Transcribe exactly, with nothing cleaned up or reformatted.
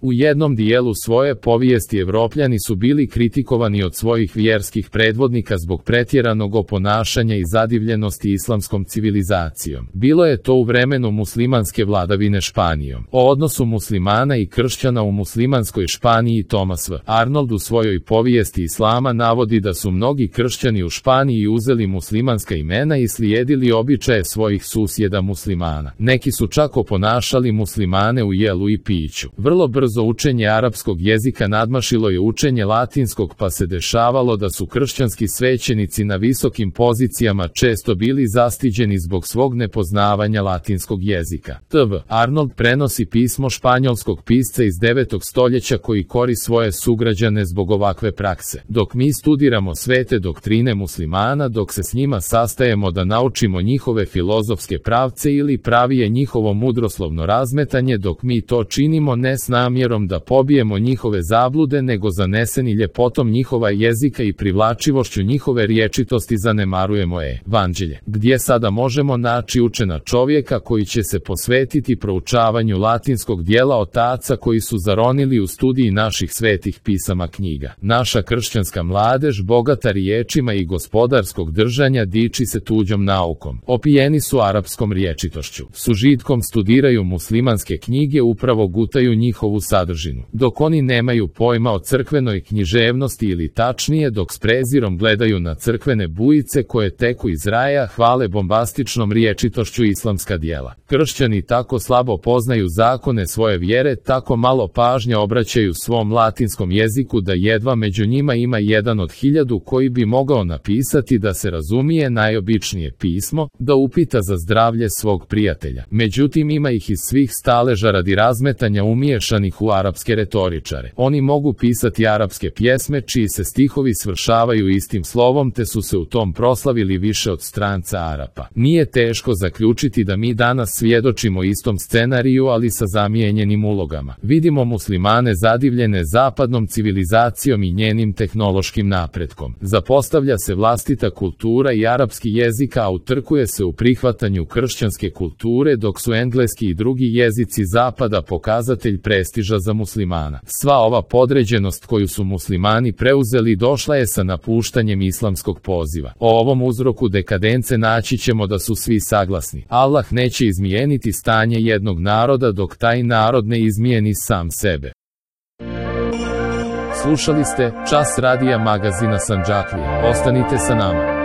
U jednom dijelu svoje povijesti Evropljani su bili kritikovani od svojih vjerskih predvodnika zbog pretjeranog oponašanja i zadivljenosti islamskom civilizacijom. Bilo je to u vremenu muslimanske vladavine Španijom. O odnosu muslimana i kršćana u muslimanskoj Španiji Thomas W. Arnold u svojoj povijesti islama navodi da su mnogi kršćani u Španiji uzeli muslimanska imena i slijedili običaje svojih susjeda muslimana. Neki su čak oponašali muslimane u jelu i piću. Vrlo brzo učenje arapskog jezika nadmašilo je učenje latinskog, pa se dešavalo da su kršćanski svećenici na visokim pozicijama često bili zastiđeni zbog svog nepoznavanja latinskog jezika. T V Arnold prenosi pismo španjolskog pisca iz devetog stoljeća koji kori svoje sugrađane zbog ovakve prakse. Dok mi studiramo svete doktrine muslimana, dok se s njima sastajemo da naučimo njihove filozofske pravce ili pravije njihovo mudroslovno razmetanje, dok mi to činimo ne s namjerom da pobijemo njihove zablude, nego zaneseni ljepotom njihova jezika i privlačivošću njihove riječitosti zanemarujemo evanđelje. Gdje sada možemo naći učena čovjeka koji će se posvetiti proučavanju latinskog dijela otaca koji su zaronili u studiji naših svetih pisama knjiga? Naša kršćanska mladež, bogata riječima i gospodarskog držanja, diči se tuđom naukom. Opijeni su arapskom riječitošću. S užitkom studiraju muslimanske knjige, upravo gutaju njihovu sadržinu. Dok oni nemaju pojma o crkvenoj književnosti, ili tačnije dok s prezirom gledaju na crkvene bujice koje teku iz raja, hvale bombastičnom riječitošću islamska djela. Kršćani tako slabo poznaju zakone svoje vjere, tako malo pažnje obraćaju svom latinskom jeziku da jedva među njima ima jedan od hiljadu koji bi mogao napisati da se razumije najobičnije pismo, da upita za zdravlje svog prijatelja. Međutim, ima ih iz svih staleža radi razmetanja umiješanih u arapske retoričare. Oni mogu pisati arapske pjesme čiji se stihovi svršavaju istim slovom, te su se u tom proslavili više od stranca Arapa. Nije teško zaključiti da mi danas svjedočimo istom scenariju, ali sa zamijenjenim ulogama. Vidimo muslimane zadivljene zapadnom civilizacijom i njenim tehnološkim napretkom. Zapostavlja se vlastita kultura i arapski jezik, a utrkuje se u prihvatanju kršćanske kulture, dok su engleski i drugi jezici zapada pokazatelj prestiža za muslimana. Sva ova podređenost koju su muslimani preuzeli došla je sa napuštanjem islamskog poziva. O ovom uzroku dekadence naći ćemo da su svi saglasni. Allah neće izmijeniti stanje jednog naroda dok taj narod ne izmijeni sam sebe. Slušali ste Čas radija magazina Sandžaklija. Ostanite sa nama.